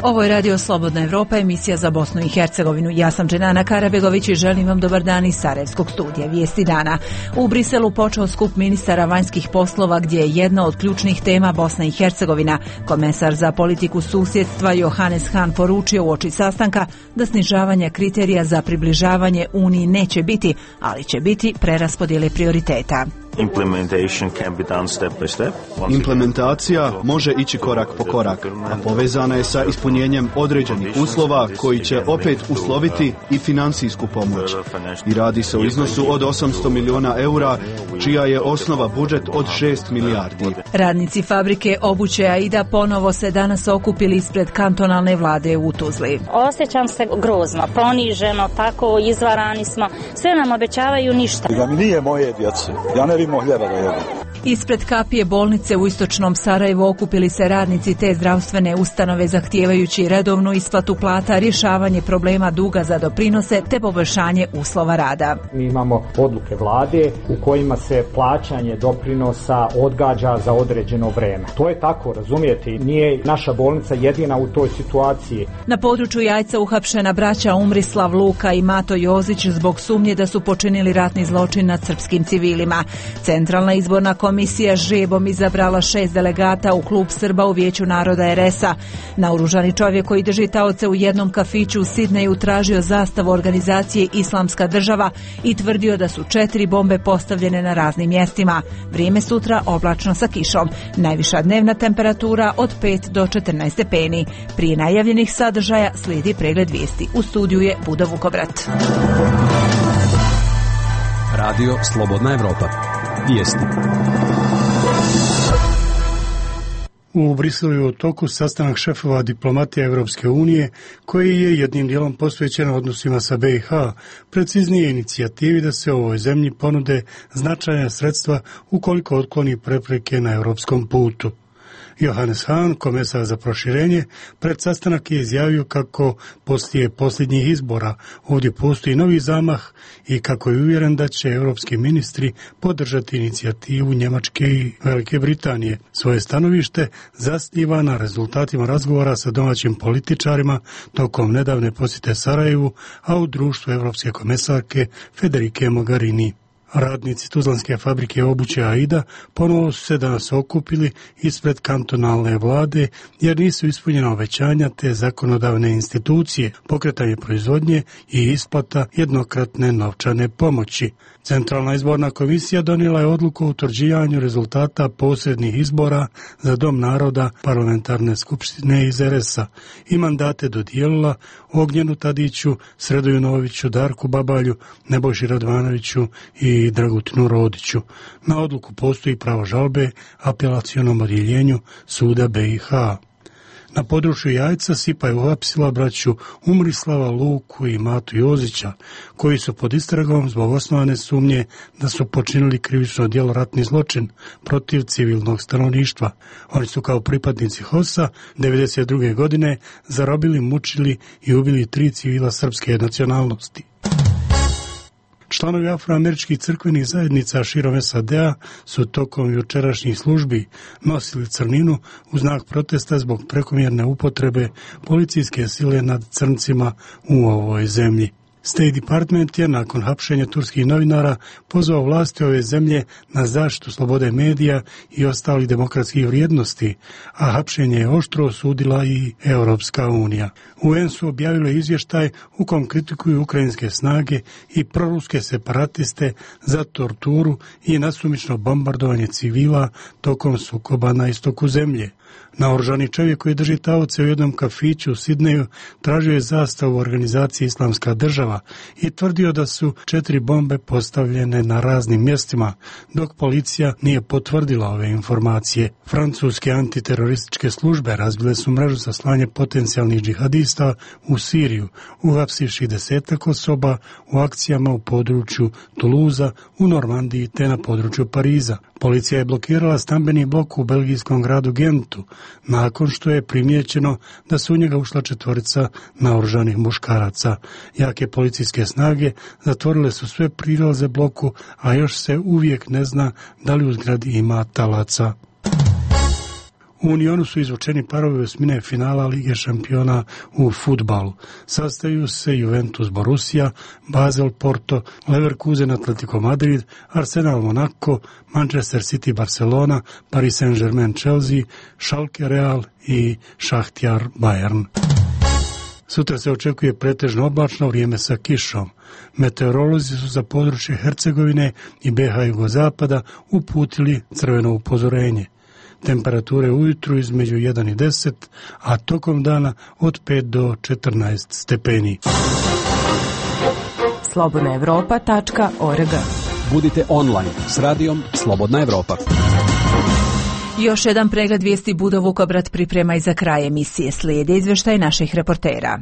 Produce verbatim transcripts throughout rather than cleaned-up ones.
Ovo je Radio Slobodna Evropa, emisija za Bosnu i Hercegovinu. Ja sam Dženana Karabegović i želim vam dobar dan iz Sarajevskog studija Vijesti dana. U Briselu počeo skup ministara vanjskih poslova gdje je jedna od ključnih tema Bosna i Hercegovina. Komesar za politiku susjedstva Johannes Hahn poručio uoči sastanka da snižavanje kriterija za približavanje Uniji neće biti, ali će biti preraspodjele prioriteta. Implementacija može ići korak po korak, a povezana je sa ispunjenjem određenih uslova koji će opet usloviti i financijsku pomoć. I radi se o iznosu od osamsto miliona eura, čija je osnova budžet od šest milijardi. Radnici fabrike obuće Aida ponovo se danas okupili ispred kantonalne vlade u Tuzli. Osjećam se grozno, poniženo, tako izvarani smo. Sve nam obećavaju ništa. Da mi nije moje djece, ja ne bih hljeba da jedem. Ispred Kapije bolnice u istočnom Sarajevu okupili se radnici te zdravstvene ustanove zahtijevajući redovnu isplatu plata, rješavanje problema duga za doprinose te poboljšanje uslova rada. Mi imamo odluke vlade u kojima se plaćanje doprinosa odgađa za određeno vreme. To je tako, razumijete, nije naša bolnica jedina u toj situaciji. Na području Jajca uhapšena braća Umrislav Luka i Mato Jozić zbog sumnje da su počinili ratni zločin nad srpskim civilima. Centralna izborna komisija žrebom izabrala šest delegata u klub Srba u Vijeću naroda er es a. Naoružani čovjek koji drži taoce u jednom kafiću u Sidneju tražio zastavu organizacije Islamska država i tvrdio da su četiri bombe postavljene na raznim mjestima. Vrijeme sutra oblačno sa kišom. Najviša dnevna temperatura od pet do četrnaest stepeni. Prije najavljenih sadržaja slijedi pregled vijesti. U studiju je Buda Vukovrat. Radio Slobodna Evropa. Vijesti. U Briselu je u toku sastanak šefova diplomatije Evropske unije koji je jednim dijelom posvećen odnosima sa be i ha, preciznije inicijativi da se ovoj zemlji ponude značajna sredstva ukoliko otkloni prepreke na europskom putu. Johannes Hahn, komesar za proširenje, pred sastanak je izjavio kako poslije posljednjih izbora ovdje postoji novi zamah i kako je uvjeren da će europski ministri podržati inicijativu Njemačke i Velike Britanije. Svoje stanovište zasniva na rezultatima razgovora sa domaćim političarima tokom nedavne posjete Sarajevu, a u društvu europske komesarke Federike Mogherini. Radnici tuzlanske fabrike obuće Aida ponovo su se danas okupili ispred kantonalne vlade jer nisu ispunjena obećanja te zakonodavne institucije, pokretanje proizvodnje i isplata jednokratne novčane pomoći. Centralna izborna komisija donijela je odluku o utvrđivanju rezultata posrednih izbora za Dom naroda parlamentarne skupštine iz er es a i mandate dodijelila Ognjenu Tadiću, Sredoju Noviću, Darku Babalju, Nebojši Radvanoviću i Dragutinu Rodiću. Na odluku postoji pravo žalbe apelacionom odjeljenju suda be i ha. Na području Jajca Sipa je uhapsila braću Umrislava Luku i Matu Jozića, koji su pod istragom zbog osnovane sumnje da su počinili krivično djelo ratni zločin protiv civilnog stanovništva. Oni su kao pripadnici HOS-a devedeset druge godine zarobili, mučili i ubili tri civila srpske nacionalnosti. Članovi afroameričkih crkvenih zajednica širom es a de a su tokom jučerašnjih službi nosili crninu u znak protesta zbog prekomjerne upotrebe policijske sile nad crncima u ovoj zemlji. State Department je nakon hapšenja turskih novinara pozvao vlasti ove zemlje na zaštitu slobode medija i ostalih demokratskih vrijednosti, a hapšenje je oštro osudila i Europska unija. U en su objavile izvještaj u kom kritikuju ukrajinske snage i proruske separatiste za torturu i nasumično bombardovanje civila tokom sukoba na istoku zemlje. Naoružani čovjek koji drži taoce u jednom kafiću u Sidneju tražio je zastavu organizacije Islamska država i tvrdio da su četiri bombe postavljene na raznim mjestima, dok policija nije potvrdila ove informacije. Francuske antiterorističke službe razbile su mrežu za slanje potencijalnih džihadista u Siriju, uhapsivši desetak osoba u akcijama u području Tuluza, u Normandiji te na području Pariza. Policija je blokirala stambeni blok u belgijskom gradu Gentu, nakon što je primijećeno da su u njega ušla četvorica naoružanih muškaraca. Jake policijske snage zatvorile su sve prilaze bloku, a još se uvijek ne zna da li u zgradi ima talaca. U Unionu su izvučeni parovi osmine finala Lige šampiona u fudbalu. Sastaju se Juventus Borussia, Basel Porto, Leverkusen Atletico Madrid, Arsenal Monaco, Manchester City Barcelona, Paris Saint-Germain Chelsea, Schalke Real i Šahtjar Bayern. Sutra se očekuje pretežno oblačno vrijeme sa kišom. Meteorolozi su za područje Hercegovine i B H jugozapada uputili crveno upozorenje. Temperature ujutru između jedan i deset, a tokom dana od pet do četrnaest stepeni. slobodna evropa tačka org. Budite online s radijom Slobodna Evropa. Još jedan pregled vijesti Budo Vukobrat priprema i za kraj emisije. Slijede izvještaj naših reportera.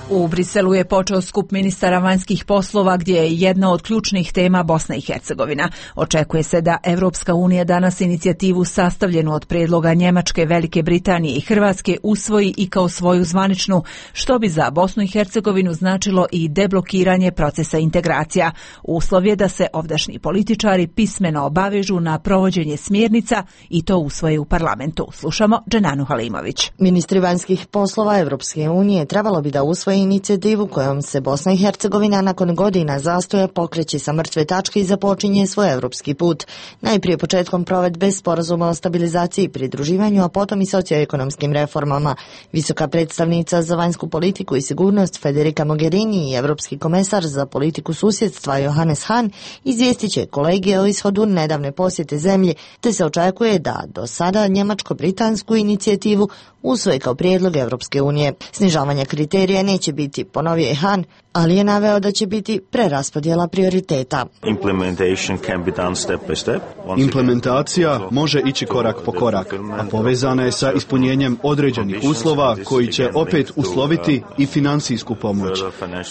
U Briselu je počeo skup ministara vanjskih poslova gdje je jedna od ključnih tema Bosna i Hercegovina. Očekuje se da Evropska unija danas inicijativu sastavljenu od prijedloga Njemačke, Velike Britanije i Hrvatske usvoji i kao svoju zvaničnu, što bi za Bosnu i Hercegovinu značilo i deblokiranje procesa integracija. Uslov je da se ovdašnji političari pismeno obavežu na provođenje smjernica i to usvoje u parlamentu. Slušamo Dženanu Halimović. Ministri vanjskih poslova Evropske unije trebalo bi da usvoje inicijativu kojom se Bosna i Hercegovina nakon godina zastoja pokreće sa mrtve tačke i započinje svoj evropski put. Najprije početkom provedbe sporazuma o stabilizaciji i pridruživanju, a potom i socioekonomskim reformama. Visoka predstavnica za vanjsku politiku i sigurnost Federica Mogherini i evropski komesar za politiku susjedstva Johannes Hahn izvijestit će kolegije o ishodu nedavne posjete zemlji, te se očekuje da do sada njemačko-britansku inicijativu usvoje kao prijedlog Evropske unije. Snižavanje kriterija neće biti, ponovio je Hahn, ali je naveo da će biti preraspodjela prioriteta. Implementacija može ići korak po korak, a povezana je sa ispunjenjem određenih uslova koji će opet usloviti i financijsku pomoć.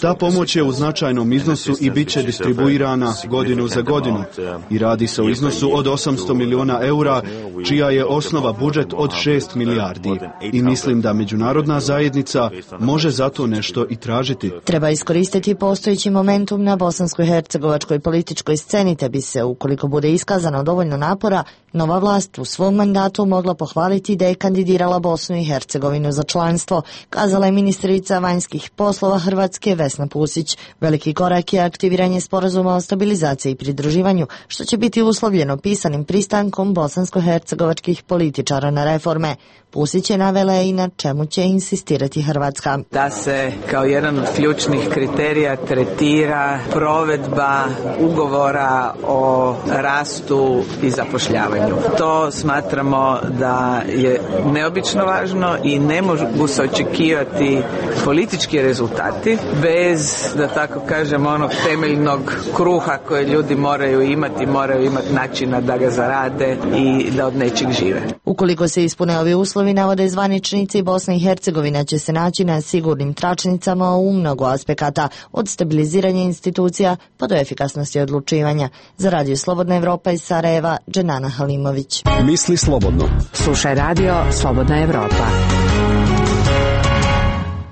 Ta pomoć je u značajnom iznosu i bit će distribuirana godinu za godinu i radi se o iznosu od osamsto milijuna eura, čija je osnova budžet od šest milijardi. I mislim da međunarodna zajednica može zato nešto i tražiti. Treba iskoristiti postojeći momentum na bosansko-hercegovačkoj političkoj sceni, te bi se, ukoliko bude iskazano dovoljno napora, nova vlast u svom mandatu mogla pohvaliti da je kandidirala Bosnu i Hercegovinu za članstvo, kazala je ministrica vanjskih poslova Hrvatske Vesna Pusić. Veliki korak je aktiviranje sporazuma o stabilizaciji i pridruživanju, što će biti uslovljeno pisanim pristankom bosansko-hercegovačkih političara na reforme. Pusić je navela i na čemu će insistirati Hrvatska. Da se kao jedan od ključnih kriterija tretira provedba ugovora o rastu i zapošljavanju. To smatramo da je neobično važno i ne mogu se očekivati politički rezultati bez, da tako kažem, onog temeljnog kruha koje ljudi moraju imati, moraju imati načina da ga zarade i da od nečeg žive. Ukoliko se ispune ovi uslovi, navode zvaničnici, Bosna i Hercegovina će se naći na sigurnim tračnicama u mnogo aspekata, od stabiliziranja institucija pa do efikasnosti odlučivanja. Za Radio Slobodna Evropa iz Sarajeva, Dženana Halimović. Misli slobodno. Slušaj Radio Slobodna Evropa.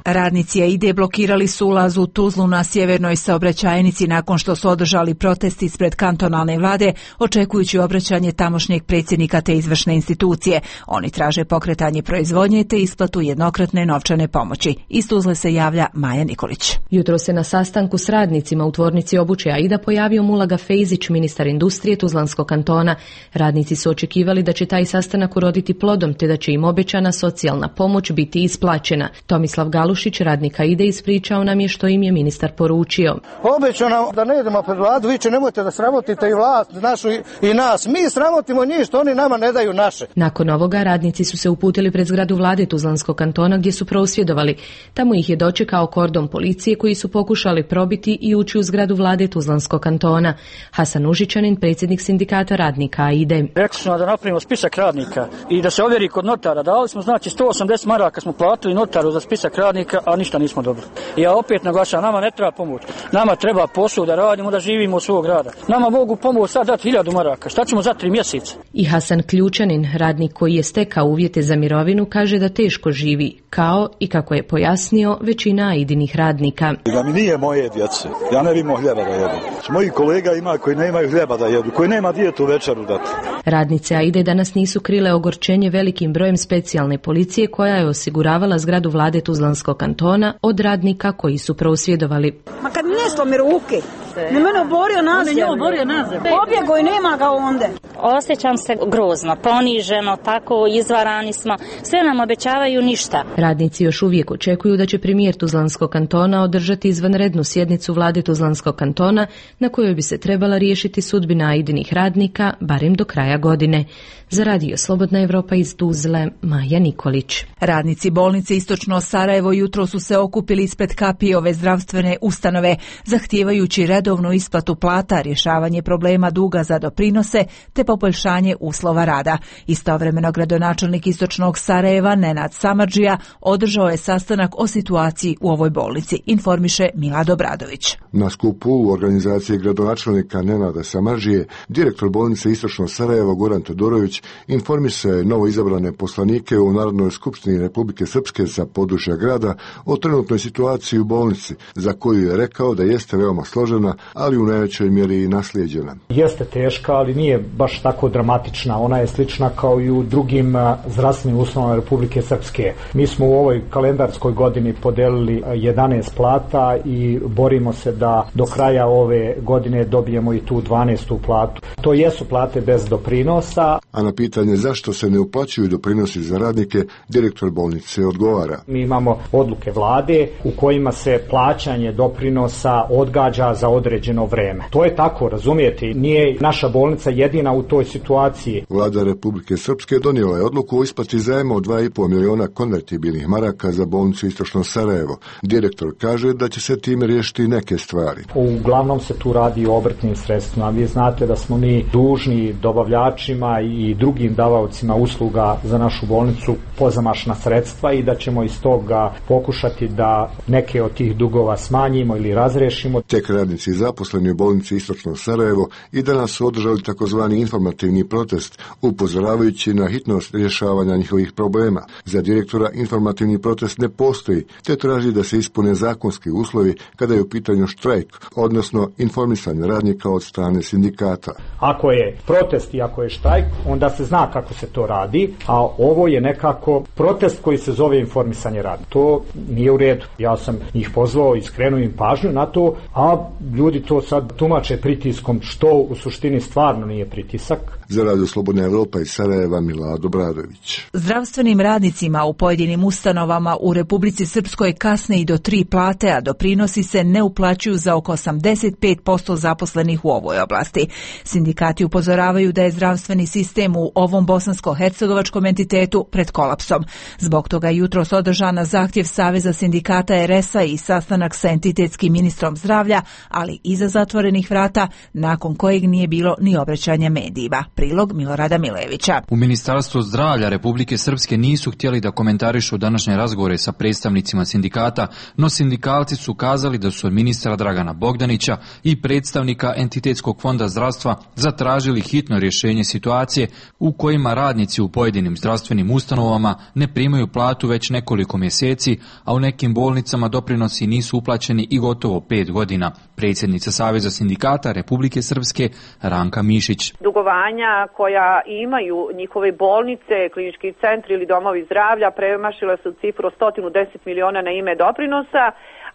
Radnici AIDE blokirali su ulaz u Tuzlu na sjevernoj saobraćajnici nakon što su održali protest ispred kantonalne vlade, očekujući obraćanje tamošnjeg predsjednika te izvršne institucije. Oni traže pokretanje proizvodnje te isplatu jednokratne novčane pomoći. Iz Tuzle se javlja Maja Nikolić. Jutro se na sastanku s radnicima u tvornici obuće AIDA pojavio Mulaga Fejzić, ministar industrije Tuzlanskog kantona. Radnici su očekivali da će taj sastanak uroditi plodom te da će im obećana socijalna pomoć biti isplaćena. Tomislav Galušić, radnik AIDE, ispričao nam je što im je ministar poručio. Obećano da ne idemo pred vladu, vi će nemojte da sramotite i vlast našu i nas. Mi sramotimo njih što oni nama ne daju naše. Nakon ovoga radnici su se uputili pred zgradu vlade Tuzlanskog kantona gdje su prosvjedovali. Tamo ih je dočekao kordon policije koji su pokušali probiti i ući u zgradu vlade Tuzlanskog kantona. Hasan Užičanin, predsjednik sindikata radnika AIDE. Rekli smo da napravimo spisak radnika i da se ovjeri kod notara. Dali smo znači sto osamdeset maraka smo platili notaru za spisak radnika. radnika, a ništa nismo dobili. Ja opet naglašavam, nama ne treba pomoć. Nama treba posao da radimo, da živimo od svog rada. Nama mogu pomoć sad dati hiljadu maraka. Šta ćemo za tri mjeseca? I Hasan Ključanin, radnik koji je stekao uvjete za mirovinu, kaže da teško živi, kao i kako je pojasnio većina Aidinih radnika. Da mi nije moje djece, ja ne bimo hljeba da jedu. Moji kolega ima koji nemaju hljeba da jedu, koji nema dijetu večeru dati. Radnice Aide danas nisu krile ogorčenje velikim brojem specijalne policije koja je osiguravala zgradu vlade Tuzlanskog kantona od radnika koji su prosvjedovali. Ma kad mi ne slomi ruke, ne mene oborio nazem. On oborio nazem. Pobjego i nema ga onde. Osjećam se grozno, poniženo, tako izvarani smo. Sve nam obećavaju ništa. Radnici još uvijek očekuju da će premijer Tuzlanskog kantona održati izvanrednu sjednicu vlade Tuzlanskog kantona na kojoj bi se trebala riješiti sudbina Aidinih radnika barem do kraja godine. Za Radio Slobodna Evropa iz Tuzle, Maja Nikolić. Radnici bolnice Istočno Sarajevo jutro su se okupili ispred Kapijove zdravstvene ustanove, zahtijevajući redovnu isplatu plata, rješavanje problema duga za doprinose te poboljšanje uslova rada. Istovremeno gradonačelnik Istočnog Sarajeva Nenad Samardžija održao je sastanak o situaciji u ovoj bolnici, informiše Milad Obradović. Na skupu u organizaciji gradonačelnika Nenada Samardžije, direktor bolnice Istočno Sarajevo Goran Todorović informisao novo izabrane poslanike u Narodnoj skupštini Republike Srpske sa područja grada o trenutnoj situaciji u bolnici, za koju je rekao da jeste veoma složena, ali u najvećoj mjeri i naslijeđena. Jeste teška, ali nije baš tako dramatična. Ona je slična kao i u drugim zdravstvenim ustanovama Republike Srpske. Mi smo u ovoj kalendarskoj godini podelili jedanaest plata i borimo se da do kraja ove godine dobijemo i tu dvanaestu platu. To jesu plate bez doprinosa. A na pitanje zašto se ne uplaćuju doprinosi za radnike, direktor bolnice odgovara. Mi imamo odluke vlade u kojima se plaćanje doprinosa odgađa za određeno vreme. To je tako, razumijete, nije naša bolnica jedina u toj situaciji. Vlada Republike Srpske donijela je odluku o isplati zajma od dva i pol miliona konvertibilnih maraka za bolnicu Istočno Sarajevo. Direktor kaže da će se time riješiti neke stvari. Uglavnom se tu radi o obrtnim sredstvima. Vi znate da smo mi dužni dobavljačima i drugim davaocima usluga za našu bolnicu pozamašna sredstva i da ćemo iz toga pokušati da neke od tih dugova smanjimo ili razrešimo. Tek radnici zaposleni u bolnici Istočno Sarajevo i danas su održali takozvani informativni protest, upozoravajući na hitnost rješavanja njihovih problema. Za direktora informativni protest ne postoji, te traži da se ispune zakonski uslovi kada je u pitanju štrajk, odnosno informisanje radnika od strane sindikata. Ako je protest i ako je štrajk, onda se zna kako se to radi, a ovo je nekako protest koji se zove informisanje radnika. To nije u redu. Ja sam ih pozvao i skrenuo im pažnju na to, a ljudi to sad tumače pritiskom, što u suštini stvarno nije pritisak. Za Radio Slobodna Evropa iz Sarajeva, Milad Obradović. Zdravstvenim radnicima u pojedinim ustanovama u Republici Srpskoj kasne i do tri plate, a doprinosi se ne uplaćuju za oko osamdeset pet posto zaposlenih u ovoj oblasti. Sindikati upozoravaju da je zdravstveni sistem u ovom bosansko-hercegovačkom entitetu pred kolapsom. Zbog toga je jutros održan na zahtjev Saveza sindikata er es a i sastanak sa entitetskim ministrom zdravlja, ali iza zatvorenih vrata, nakon kojeg nije bilo ni obraćanja medijima. Prilog Milorada Milevića. U Ministarstvu zdravlja Republike Srpske nisu htjeli da komentarišu današnje razgovore sa predstavnicima sindikata, no sindikalci su kazali da su od ministra Dragana Bogdanića i predstavnika Entitetskog fonda zdravstva zatražili hitno rješenje situacije u kojima radnici u pojedinim zdravstvenim ustanovama ne primaju platu već nekoliko mjeseci, a u nekim bolnicama doprinosi nisu uplaćeni i gotovo pet godina. Predsjednica Saveza sindikata Republike Srpske Ranka Mišić. Dugovanja koja imaju njihove bolnice, klinički centri ili domovi zdravlja premašile su cifru sto deset miliona na ime doprinosa,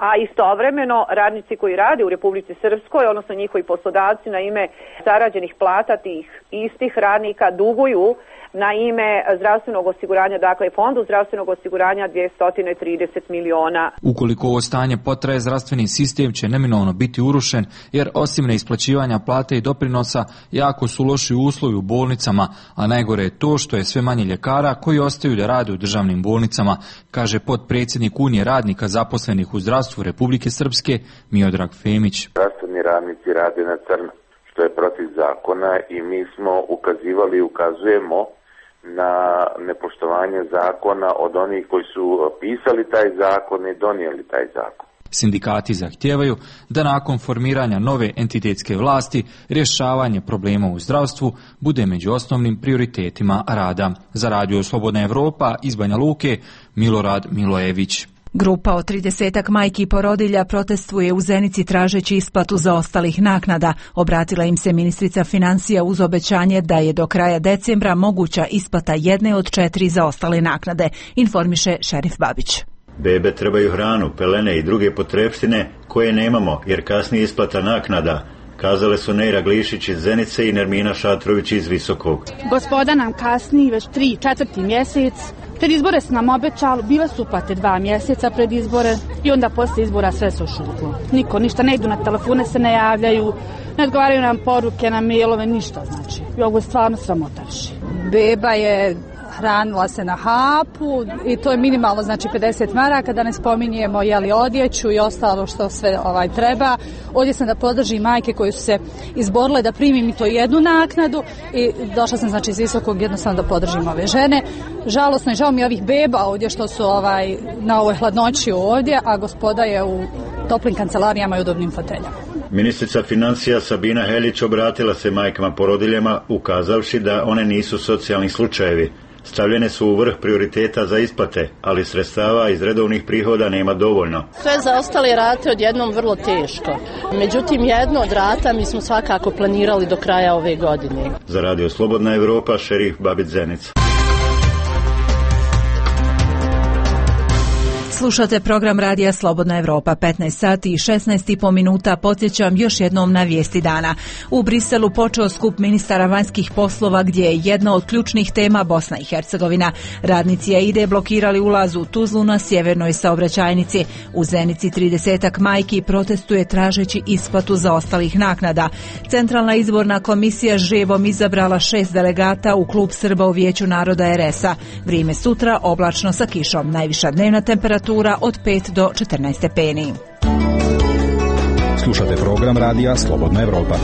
a istovremeno radnici koji rade u Republici Srpskoj, odnosno njihovi poslodavci na ime zarađenih plata tih istih radnika duguju na ime zdravstvenog osiguranja, dakle fondu zdravstvenog osiguranja dvjesto trideset miliona. Ukoliko ovo stanje potraje, zdravstveni sistem će neminovno biti urušen, jer osim neisplaćivanja plate i doprinosa, jako su loši uslovi u bolnicama, a najgore je to što je sve manje ljekara koji ostaju da rade u državnim bolnicama, kaže potpredsjednik Unije radnika zaposlenih u zdravstvu Republike Srpske Miodrag Femić. Zdravstveni radnici rade na crno, što je protiv zakona, i mi smo ukazivali i ukazujemo na nepoštovanje zakona od onih koji su pisali taj zakon i donijeli taj zakon. Sindikati zahtijevaju da nakon formiranja nove entitetske vlasti rješavanje problema u zdravstvu bude među osnovnim prioritetima rada. Za Radio Slobodna Evropa iz Banja Luke, Milorad Milojević. Grupa od tridesetak majki i porodilja protestuje u Zenici tražeći isplatu zaostalih naknada. Obratila im se ministrica financija uz obećanje da je do kraja decembra moguća isplata jedne od četiri zaostale naknade, informiše Šerif Babić. Bebe trebaju hranu, pelene i druge potrepštine koje nemamo jer kasnije isplata naknada, kazale su Nejra Glišić iz Zenice i Nermina Šatrović iz Visokog. Gospoda nam kasni već tri, četvrti mjesec. Pred izbore su nam obećali, bile su uplate dva mjeseca pred izbore i onda poslije izbora sve su šutlo. Niko ništa, ne idu na telefone, se ne javljaju, ne odgovaraju nam poruke, na mailove, ništa znači. I ovo je stvarno sramotaši. Beba je hranila se na hapu i to je minimalno, znači pedeset maraka, da ne spominjemo jeli odjeću i ostalo što sve ovaj treba. Ovdje sam da podržim majke koje su se izborile da primim i to jednu naknadu i došla sam znači iz Visokog jednostavno da podržim ove žene. Žalosno je, žao mi ovih beba ovdje što su ovaj na ovoj hladnoći ovdje, a gospoda je u toplim kancelarijama i udobnim foteljama. Ministrica financija Sabina Helić obratila se majkama porodiljama ukazavši da one nisu socijalni slučajevi. Stavljene su u vrh prioriteta za isplate, ali sredstava iz redovnih prihoda nema dovoljno. Sve zaostale rate odjednom vrlo teško. Međutim, jedno od rata mi smo svakako planirali do kraja ove godine. Za Radio Slobodna Evropa, Šerif Babić Zenica. Slušate program Radija Slobodna Evropa, petnaest sati i šesnaest i po minuta. Podsjećam još jednom na vijesti dana. U Briselu počeo skup ministara vanjskih poslova gdje je jedna od ključnih tema Bosna i Hercegovina. Radnici AIDE blokirali ulaz u Tuzlu na sjevernoj saobraćajnici. U Zenici tridesetak majki protestuje tražeći isplatu zaostalih naknada. Centralna izborna komisija žrebom izabrala šest delegata u klub Srba u Vijeću naroda er es a. Vrijeme sutra oblačno sa kišom. Najviša dnevna temperatura od pet do četrnaest stepeni. Slušate program Radija Slobodna Evropa.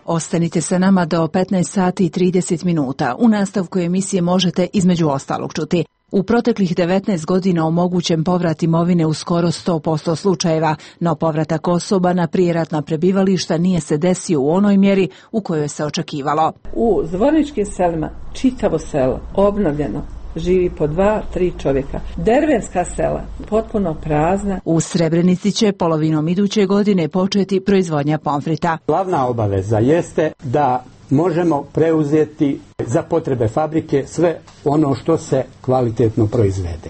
Ostanite sa nama do petnaest sati i trideset minuta. U nastavku emisije možete između ostalog čuti: u proteklih devetnaest godina omogućen povrat imovine u skoro sto posto slučajeva, no povratak osoba na prijeratna prebivališta nije se desio u onoj mjeri u kojoj se očekivalo. U Zvorničkim selima čitavo selo obnovljeno, živi po dva, tri čovjeka. Dervenska sela potpuno prazna. U Srebrenici će polovinom iduće godine početi proizvodnja pomfrita. Glavna obaveza jeste da možemo preuzeti za potrebe fabrike sve ono što se kvalitetno proizvede.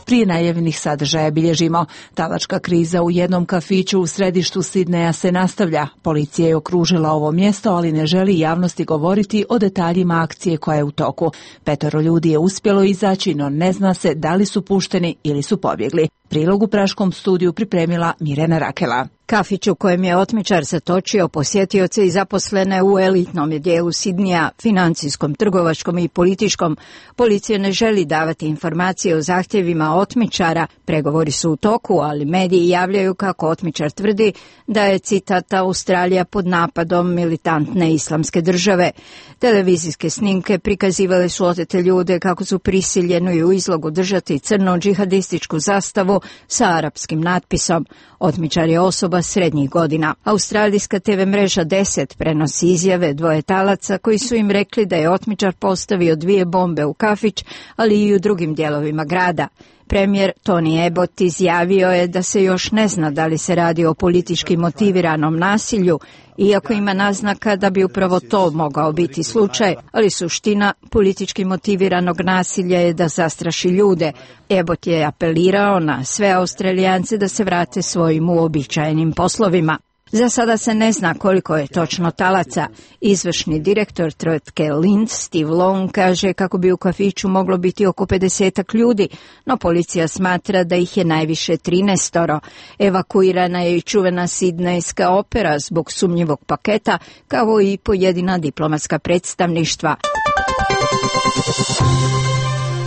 Prije najavljenih sadržaja bilježimo: talačka kriza u jednom kafiću u središtu Sidneja se nastavlja. Policija je okružila ovo mjesto, ali ne želi javnosti govoriti o detaljima akcije koja je u toku. Petoro ljudi je uspjelo izaći, no ne zna se da li su pušteni ili su pobjegli. Prilog u praškom studiju pripremila Mirjana Rakela. Kafić u kojem je otmičar zatočio posjetioce i zaposlene u elitnom dijelu Sidnija, financijskom, trgovačkom i političkom. Policija ne želi davati informacije o zahtjevima otmičara. Pregovori su u toku, ali mediji javljaju kako otmičar tvrdi da je, citat, Australija pod napadom militantne islamske države. Televizijske snimke prikazivale su otete ljude kako su prisiljeni u izlogu držati crnu džihadističku zastavu sa arapskim natpisom. Otmičar je osoba srednjih godina. Australijska te ve mreža deset prenosi izjave dvoje talaca koji su im rekli da je otmičar postavio dvije bombe u kafić, ali i u drugim dijelovima grada. Premijer Tony Abbott izjavio je da se još ne zna da li se radi o politički motiviranom nasilju, iako ima naznaka da bi upravo to mogao biti slučaj, ali suština politički motiviranog nasilja je da zastraši ljude. Abbott je apelirao na sve Australijance da se vrate svojim uobičajenim poslovima. Za sada se ne zna koliko je točno talaca. Izvršni direktor tvrtke Lind, Steve Long, kaže kako bi u kafiću moglo biti oko pedesetak ljudi, no policija smatra da ih je najviše trinaestoro. Evakuirana je i čuvena sidnejska opera zbog sumnjivog paketa, kao i pojedina diplomatska predstavništva.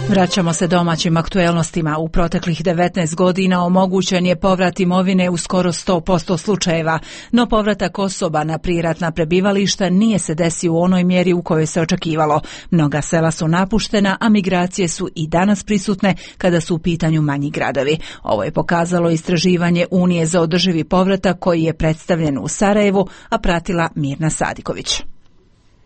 Vraćamo se domaćim aktuelnostima. U proteklih devetnaest godina omogućen je povrat imovine u skoro sto posto slučajeva, no povratak osoba na prijeratna prebivališta nije se desio u onoj mjeri u kojoj se očekivalo. Mnoga sela su napuštena, a migracije su i danas prisutne kada su u pitanju manji gradovi. Ovo je pokazalo istraživanje Unije za održivi povratak koji je predstavljen u Sarajevu, a pratila Mirna Sadiković.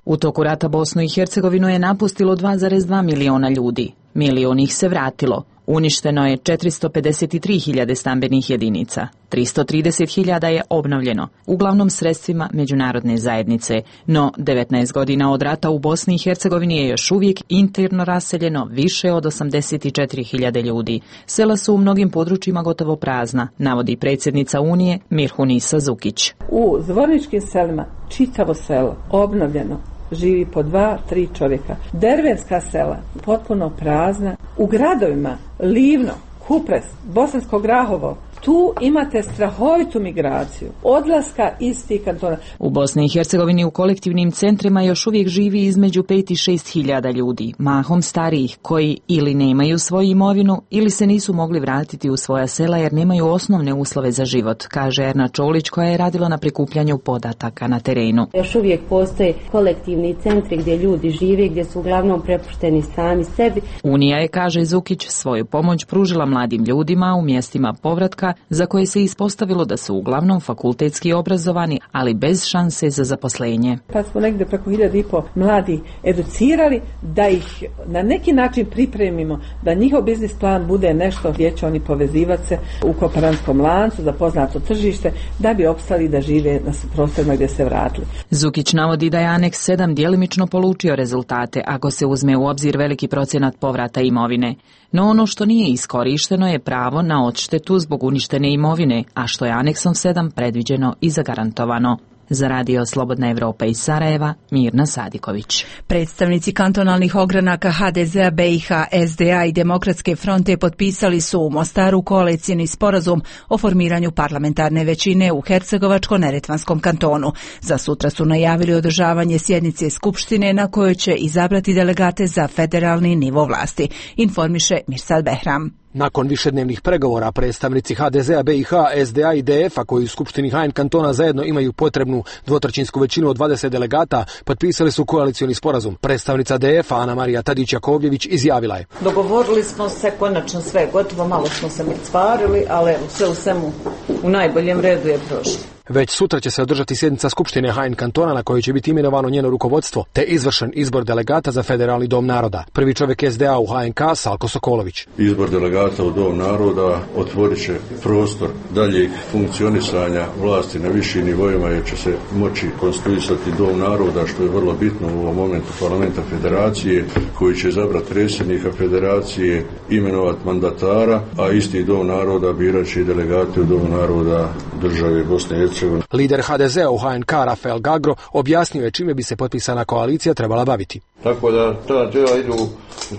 U toku rata Bosnu i Hercegovinu je napustilo dva zarez dva miliona ljudi. Milion ih se vratilo. Uništeno je četiristo pedeset tri hiljade stambenih jedinica. tristo trideset hiljada je obnovljeno, uglavnom sredstvima međunarodne zajednice. No, devetnaest godina od rata u Bosni i Hercegovini je još uvijek interno raseljeno više od osamdeset četiri hiljade ljudi. Sela su u mnogim područjima gotovo prazna, navodi predsjednica Unije Mirhunisa Zukić. U zvorničkim selima čitavo selo obnovljeno, živi po dva, tri čovjeka. Dervenska sela potpuno prazna. U gradovima Livno, Kupres, Bosansko Grahovo, tu imate strahovitu migraciju, odlaska iz tih kantona. U Bosni i Hercegovini u kolektivnim centrima još uvijek živi između pet i šest hiljada ljudi, mahom starijih, koji ili nemaju svoju imovinu ili se nisu mogli vratiti u svoja sela jer nemaju osnovne uslove za život, kaže Erna Čolić koja je radila na prikupljanju podataka na terenu. Još uvijek postoje kolektivni centri gdje ljudi žive, gdje su uglavnom prepušteni sami sebi. Unija je, kaže Zukić, svoju pomoć pružila mladim ljudima u mjestima povratka za koje se ispostavilo da su uglavnom fakultetski obrazovani, ali bez šanse za zaposlenje. Pa smo negdje preko hiljadu i po mladi educirali da ih na neki način pripremimo, da njihov biznis plan bude nešto gdje će oni povezivati se u kooperantskom lancu za poznato tržište, da bi opstali da žive na prostorima gdje se vratili. Zukić navodi da je Aneks sedam djelimično polučio rezultate ako se uzme u obzir veliki procenat povrata imovine. No ono što nije iskorišteno je pravo na odštetu zbog uništene imovine, a što je Aneksom sedam predviđeno i zagarantovano. Za radio Slobodna Evropa iz Sarajeva, Mirna Sadiković. Predstavnici kantonalnih ogranaka ha de zea, be i ha, es de a i Demokratske fronte potpisali su u Mostaru koalicijni sporazum o formiranju parlamentarne većine u Hercegovačko-neretvanskom kantonu. Za sutra su najavili održavanje sjednice Skupštine na kojoj će izabrati delegate za federalni nivo vlasti, informiše Mirsad Behram. Nakon višednevnih pregovora predstavnici ha de zea, be i ha, es de a i de ef a koji u Skupštini ha en kantona zajedno imaju potrebnu dvotrećinsku većinu od dvadeset delegata, potpisali su koalicioni sporazum. Predstavnica de ef a Ana Marija Tadić-Jakovljević izjavila je: Dogovorili smo se, konačno sve gotovo, malo smo se mrcvarili, ali evo, sve u svemu u najboljem redu je prošlo. Već sutra će se održati sjednica Skupštine ha en kantona na kojoj će biti imenovano njeno rukovodstvo, te izvršen izbor delegata za Federalni dom naroda. Prvi čovjek es de a u ha en ka, Salko Sokolović. Izbor delegata u dom naroda otvorit će prostor daljeg funkcionisanja vlasti na višim nivoima jer će se moći konstituisati dom naroda, što je vrlo bitno u ovom momentu parlamenta federacije, koji će izabrati predsjednika federacije, imenovati mandatara, a isti dom naroda birat će delegate u dom naroda države Bosne i Hercegovine. Lider ha de zea u ha en ka Rafael Gagro objasnio je čime bi se potpisana koalicija trebala baviti. Tako da ta tijela idu u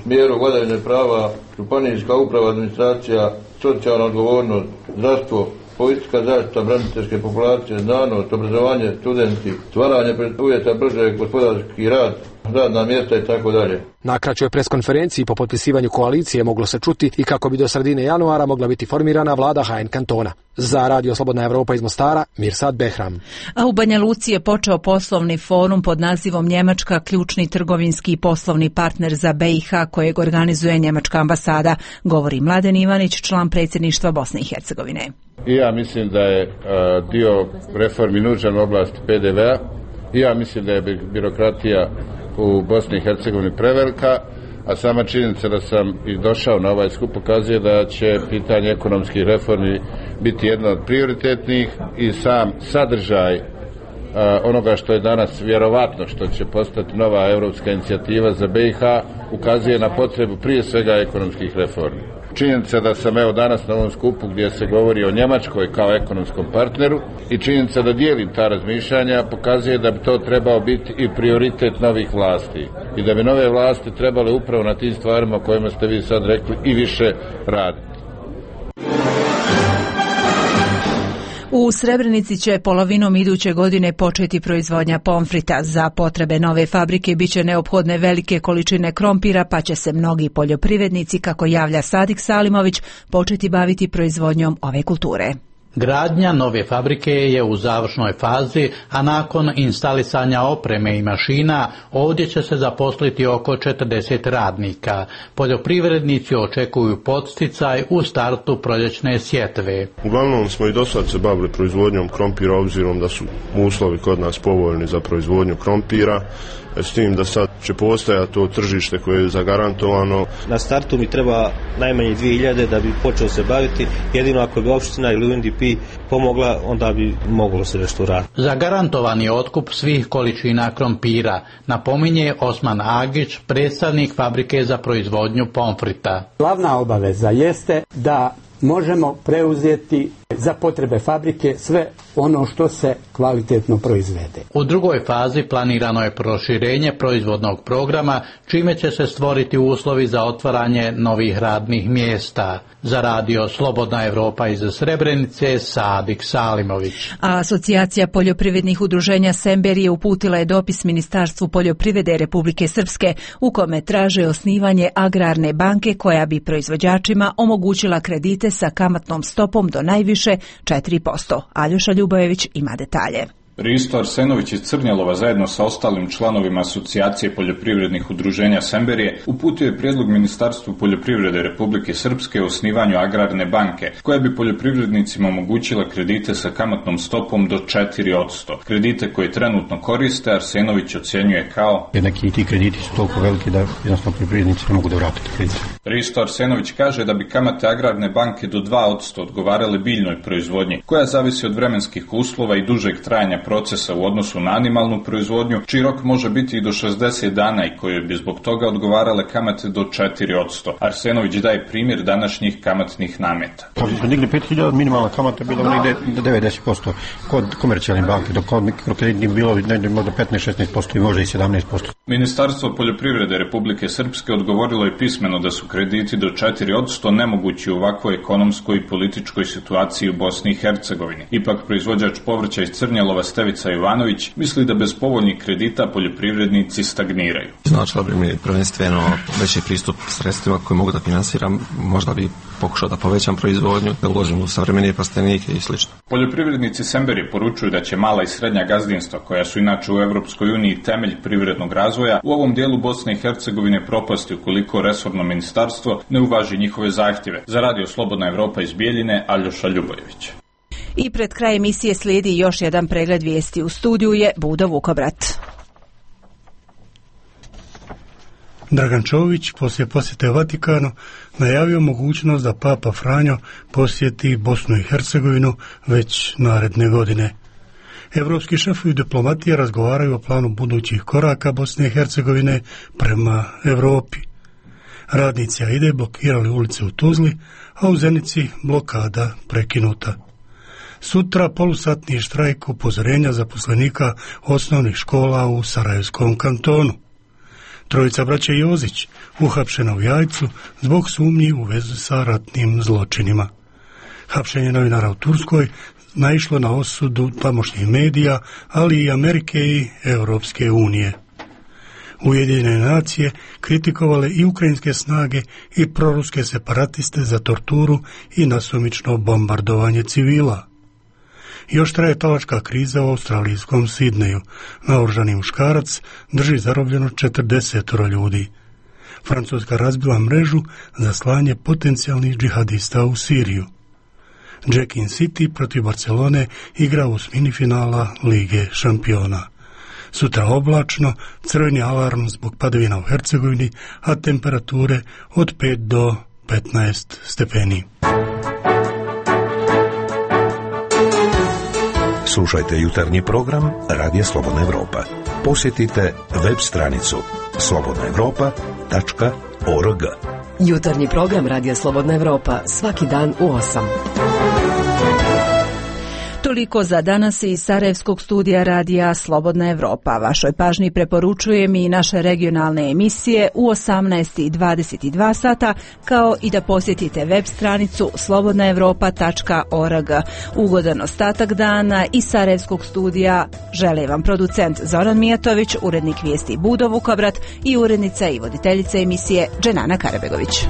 smjeru vladavine prava, županijska uprava, administracija, socijalna odgovornost, zdravstvo, politika zaštita braniteljske populacije, znanost, obrazovanje, studenti, stvaranje uvjeta brže gospodarski rad, radna mjesta i tako dalje. Na kraćoj preskonferenciji po potpisivanju koalicije moglo se čuti i kako bi do sredine januara mogla biti formirana vlada ha en kantona. Za radio Slobodna Evropa iz Mostara, Mirsad Behram. A u Banja Luci je počeo poslovni forum pod nazivom Njemačka, ključni trgovinski i poslovni partner za be i ha, kojeg organizuje Njemačka ambasada, govori Mladen Ivanić, član predsjedništva Bosne i Hercegovine. I ja mislim da je a, dio reformi nužan u oblasti pe de vea. I ja mislim da je birokratija u Bosni i Hercegovini prevelika, a sama činjenica da sam i došao na ovaj skup pokazuje da će pitanje ekonomskih reformi biti jedno od prioritetnih i sam sadržaj a, onoga što je danas vjerovatno što će postati nova europska inicijativa za be i ha ukazuje na potrebu prije svega ekonomskih reformi. Činjenica da sam evo danas na ovom skupu gdje se govori o Njemačkoj kao ekonomskom partneru i činjenica da dijelim ta razmišljanja pokazuje da bi to trebao biti i prioritet novih vlasti i da bi nove vlasti trebale upravo na tim stvarima o kojima ste vi sad rekli i više raditi. U Srebrenici će polovinom iduće godine početi proizvodnja pomfrita. Za potrebe nove fabrike biće neophodne velike količine krompira, pa će se mnogi poljoprivrednici, kako javlja Sadik Salimović, početi baviti proizvodnjom ove kulture. Gradnja nove fabrike je u završnoj fazi, a nakon instalisanja opreme i mašina ovdje će se zaposliti oko četrdeset radnika. Poljoprivrednici očekuju podsticaj u startu proljećne sjetve. Uglavnom smo i do sad se bavili proizvodnjom krompira, obzirom da su uslovi kod nas povoljni za proizvodnju krompira, s tim da sad će postojati to tržište koje je zagarantovano. Na startu mi treba najmanje dvije hiljade da bi počeo se baviti, jedino ako bi opština ili U N D P pomogla, onda bi moglo se nešto raditi. Zagarantovan je otkup svih količina krompira, napominje Osman Agić, predstavnik fabrike za proizvodnju pomfrita. Glavna obaveza jeste da možemo preuzeti za potrebe fabrike sve ono što se kvalitetno proizvede. U drugoj fazi planirano je proširenje proizvodnog programa, čime će se stvoriti uslovi za otvaranje novih radnih mjesta. Za radio Slobodna Evropa iz Srebrenice, Sadik Salimović. A Asocijacija poljoprivrednih udruženja Semberije uputila je dopis Ministarstvu poljoprivrede Republike Srpske u kome traže osnivanje agrarne banke koja bi proizvođačima omogućila kredite sa kamatnom stopom do najviše četiri posto. Aljoša Ljubojević ima detalje. Risto Arsenović iz Crnjelova zajedno sa ostalim članovima Asocijacije poljoprivrednih udruženja Semberije uputio je prijedlog Ministarstvu poljoprivrede Republike Srpske o osnivanju agrarne banke, koja bi poljoprivrednicima omogućila kredite sa kamatnom stopom do četiri posto. Kredite koje trenutno koriste Arsenović ocjenjuje kao neki ti krediti su toliko veliki da jednostavno poljoprivrednici ne mogu da vrate kredite. Risto Arsenović kaže da bi kamate agrarne banke do dva posto odgovarale biljnoj proizvodnji, koja zavisi od vremenskih uslova i dužeg trajanja procesa u odnosu na animalnu proizvodnju, čiji rok može biti i do šezdeset dana i koje bi zbog toga odgovarale kamate do četiri posto. Arsenović daje primjer današnjih kamatnih nameta. Kad smo digli pet hiljada, minimalna kamata bila negde do devedeset posto kod komercijalne banke, dok kod mikrokreditnih bilo negde možda petnaest šesnaest posto i možda i sedamnaest posto. Ministarstvo poljoprivrede Republike Srpske odgovorilo je pismeno da su krediti do četiri posto nemogući u ovakvoj ekonomskoj i političkoj situaciji u Bosni i Hercegovini. Ipak proizvođač povrća iz Crnjelova Stevica Ivanović misli da bez povoljnih kredita poljoprivrednici stagniraju. Značilo bi mi prvenstveno veći pristup sredstvima koje mogu da finansiram, možda bi pokušao da povećam proizvodnju, da uložim u savremenije plastenike i sl. Poljoprivrednici Semberije poručuju da će mala i srednja gazdinstva, koja su inače u Evropskoj uniji temelj privrednog razvoja, u ovom dijelu Bosne i Hercegovine propasti ukoliko resorno ministarstvo ne uvaži njihove zahtjeve. Za radio Slobodna Evropa iz Bijeljine, Aljoša Ljubojević. I pred kraj emisije slijedi još jedan pregled vijesti. U studiju je Budo Vukobrat. Dragan Čović poslije posjete Vatikanu najavio mogućnost da Papa Franjo posjeti Bosnu i Hercegovinu već naredne godine. Evropski šefovi diplomatije razgovaraju o planu budućih koraka Bosne i Hercegovine prema Europi. Radnici Aide blokirali ulice u Tuzli, a u Zenici blokada prekinuta. Sutra polusatni štrajk upozorenja zaposlenika osnovnih škola u Sarajevskom kantonu. Trojica braće Jozić uhapšena u Jajcu zbog sumnji u vezu sa ratnim zločinima. Hapšenje novinara u Turskoj naišlo na osudu tamošnjih medija, ali i Amerike i Europske unije. Ujedinjene nacije kritikovale i ukrajinske snage i proruske separatiste za torturu i nasumično bombardovanje civila. Još traje talačka kriza u australijskom Sidneju. Naoružani muškarac drži zarobljeno četrdeset ljudi. Francuska razbila mrežu za slanje potencijalnih džihadista u Siriju. Jackin City protiv Barcelone igra u osmini finala Lige šampiona. Sutra oblačno, crveni alarm zbog padavina u Hercegovini, a temperature od pet do petnaest stepeni. Slušajte jutarnji program Radija Slobodna Evropa. Posjetite web stranicu slobodna evropa tačka org. Jutarnji program Radija Slobodna Evropa svaki dan u osam. Toliko za danas iz Sarajevskog studija radija Slobodna Evropa. Vašoj pažnji preporučujem i naše regionalne emisije u osamnaest i dvadeset dva sata, kao i da posjetite web stranicu slobodna evropa tačka org. Ugodan ostatak dana iz Sarajevskog studija žele vam producent Zoran Mijatović, urednik vijesti Budo Vukobrat i urednica i voditeljica emisije Dženana Karabegović.